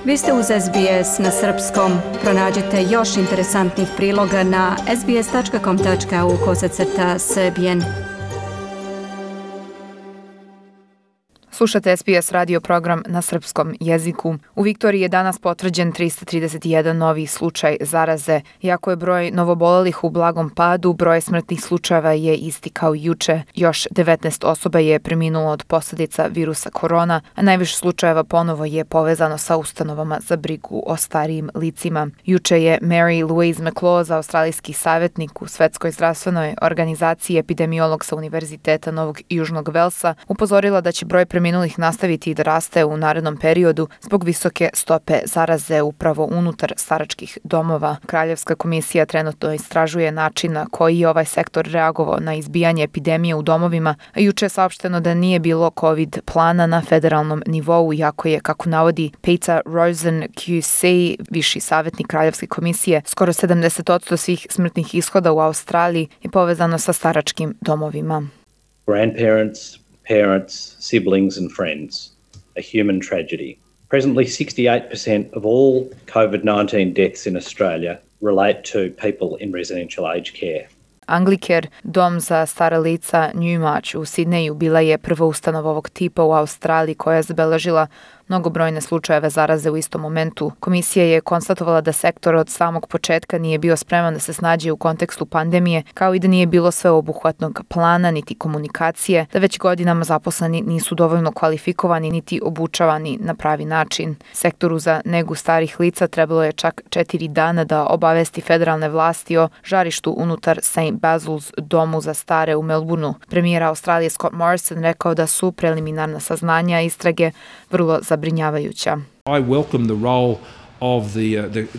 Vi ste uz SBS na srpskom. Pronađite još interesantnih priloga na sbs.com.au/srbijen. Slušate SBS radio program na srpskom jeziku. U Viktoriji je danas potvrđen 331 novi slučaj zaraze. Iako je broj novobolelih u blagom padu, broj smrtnih slučajeva je isti kao juče. Još 19 osoba je preminulo od posljedica virusa korona, a najviše slučajeva ponovo je povezano sa ustanovama za brigu o starijim licima. Juče je Mary Louise McLaws, australijski savjetnik u Svetskoj zdravstvenoj organizaciji, epidemiolog sa Univerziteta Novog Južnog Velsa, upozorila da će broj preminulih nastaviti da raste u narednom periodu zbog visoke stope zaraze upravo unutar staračkih domova. Kraljevska komisija trenutno istražuje način na koji je ovaj sektor reagovao na izbijanje epidemije u domovima, a juče je saopšteno da nije bilo COVID plana na federalnom nivou, iako je, kako navodi Peter Rosen QC, viši savjetnik Kraljevske komisije, skoro 70% svih smrtnih ishoda u Australiji je povezano sa staračkim domovima. Grandparents, parents, siblings and friends, a human tragedy. Presently, 68% of all COVID-19 deaths in Australia relate to people in residential aged care. Anglicare, dom za stara lica Newmarch u Sidneju, bila je prva ustanova ovog tipa u Australiji koja je zabeležila mnogobrojne slučajeve zaraze u istom momentu. Komisija je konstatovala da sektor od samog početka nije bio spreman da se snađe u kontekstu pandemije, kao i da nije bilo sveobuhvatnog plana niti komunikacije, da već godinama zaposleni nisu dovoljno kvalifikovani niti obučavani na pravi način. Sektoru za negu starih lica trebalo je čak 4 dana da obavesti federalne vlasti o žarištu unutar St. Basil's domu za stare u Melbourneu. Premijer Australije Scott Morrison rekao da su preliminarna saznanja istrage vrlo zabrinjavajuća. I welcome the role of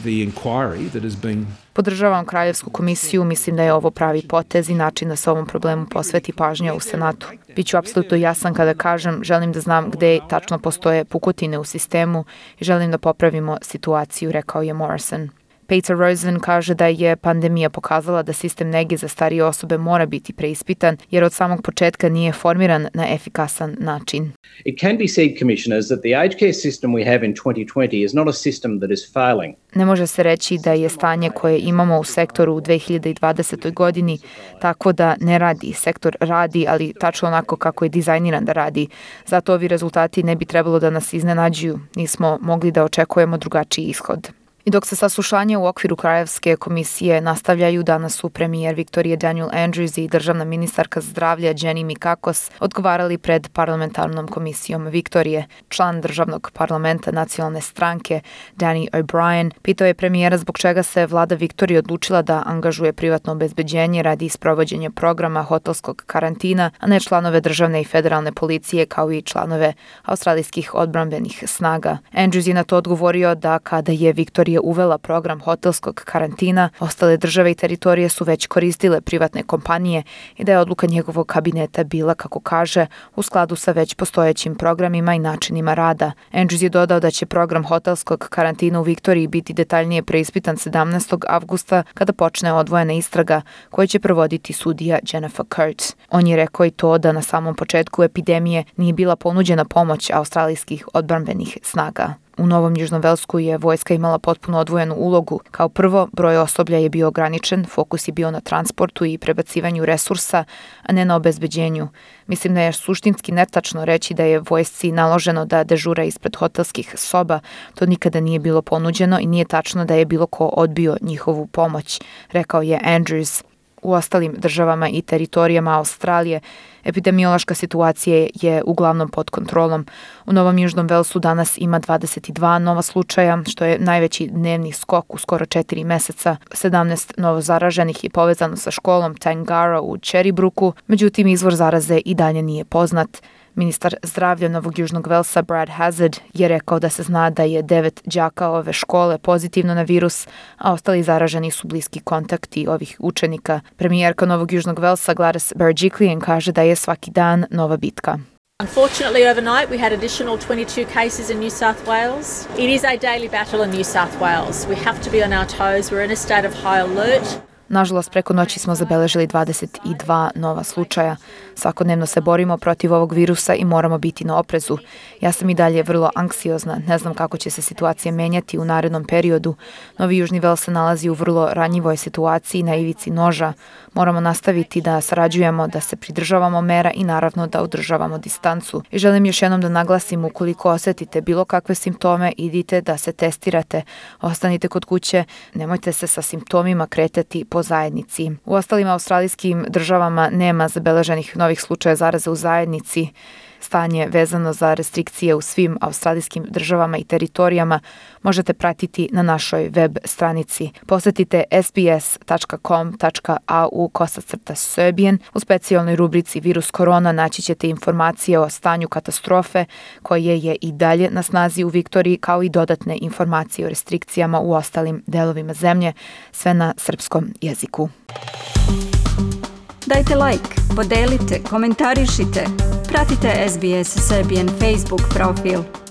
the inquiry that has been. Podržavam Kraljevsku komisiju, mislim da je ovo pravi potez i način da se ovom problemu posveti pažnja u Senatu. Biću apsolutno jasan kada kažem, želim da znam gde tačno postoje pukotine u sistemu i želim da popravimo situaciju, rekao je Morrison. Peter Rosen kaže da je pandemija pokazala da sistem nege za starije osobe mora biti preispitan, jer od samog početka nije formiran na efikasan način. It can be said, Commissioners, that the aged care system we have in 2020 is not a system that is failing. Ne može se reći da je stanje koje imamo u sektoru u 2020. godini tako da ne radi. Sektor radi, ali tačno onako kako je dizajniran da radi. Zato ovi rezultati ne bi trebalo da nas iznenađuju. Nismo mogli da očekujemo drugačiji ishod. I dok se saslušanje u okviru Kraljevske komisije nastavljaju, danas su premijer Viktorije Daniel Andrews i državna ministarka zdravlja Jenny Mikakos odgovarali pred parlamentarnom komisijom Viktorije. Član državnog parlamenta nacionalne stranke Danny O'Brien pitao je premijera zbog čega se vlada Viktorije odlučila da angažuje privatno obezbeđenje radi sprovođenja programa hotelskog karantina, a ne članove državne i federalne policije kao i članove australijskih odbrambenih snaga. Andrews je na to odgovorio da kada je Viktorija uvela program hotelskog karantina, ostale države i teritorije su već koristile privatne kompanije i da je odluka njegovog kabineta bila, kako kaže, u skladu sa već postojećim programima i načinima rada. Andrews je dodao da će program hotelskog karantina u Viktoriji biti detaljnije preispitan 17. avgusta kada počne odvojena istraga koju će provoditi sudija Jennifer Kurtz. On je rekao i to da na samom početku epidemije nije bila ponuđena pomoć australijskih odbrambenih snaga. U Novom Južnom Velsku je vojska imala potpuno odvojenu ulogu. Kao prvo, broj osoblja je bio ograničen, fokus je bio na transportu i prebacivanju resursa, a ne na obezbeđenju. Mislim da je suštinski netačno reći da je vojsci naloženo da dežura ispred hotelskih soba. To nikada nije bilo ponuđeno i nije tačno da je bilo ko odbio njihovu pomoć, rekao je Andrews. U ostalim državama i teritorijama Australije epidemiološka situacija je uglavnom pod kontrolom. U Novom Južnom Velsu danas ima 22 nova slučaja, što je najveći dnevni skok u skoro 4 meseca. 17 novo zaraženih je povezano sa školom Tangara u Cherrybrooku, međutim izvor zaraze i dalje nije poznat. Ministar zdravlja Novog Južnog Velsa Brad Hazzard je rekao da se zna da je 9 đaka ove škole pozitivno na virus, a ostali zaraženi su bliski kontakti ovih učenika. Premijerka Novog Južnog Velsa Gladys Berejiklian kaže da je svaki dan nova bitka. Unfortunately, overnight we had additional 22 cases in New South Wales. It is a daily battle in New South Wales. We have to be on our toes. We're in a state of high alert. Nažalost, preko noći smo zabeležili 22 nova slučaja. Svakodnevno se borimo protiv ovog virusa i moramo biti na oprezu. Ja sam i dalje vrlo anksiozna, ne znam kako će se situacija menjati u narednom periodu. Novi Južni Vels se nalazi u vrlo ranjivoj situaciji na ivici noža. Moramo nastaviti da sarađujemo, da se pridržavamo mera i naravno da održavamo distancu. I želim još jednom da naglasim, ukoliko osetite bilo kakve simptome, idite da se testirate, ostanite kod kuće, nemojte se sa simptomima kretati po zajednici. U ostalim australijskim državama nema zabeleženih novih slučaja zaraze u zajednici. Stanje vezano za restrikcije u svim australijskim državama i teritorijama možete pratiti na našoj web stranici. Posetite sbs.com.au/Serbian. U specijalnoj rubrici Virus korona naći ćete informacije o stanju katastrofe koje je i dalje na snazi u Viktoriji, kao i dodatne informacije o restrikcijama u ostalim delovima zemlje, sve na srpskom jeziku. Dajte like, podelite, komentarišite. Pratite SBS Serbian Facebook profil.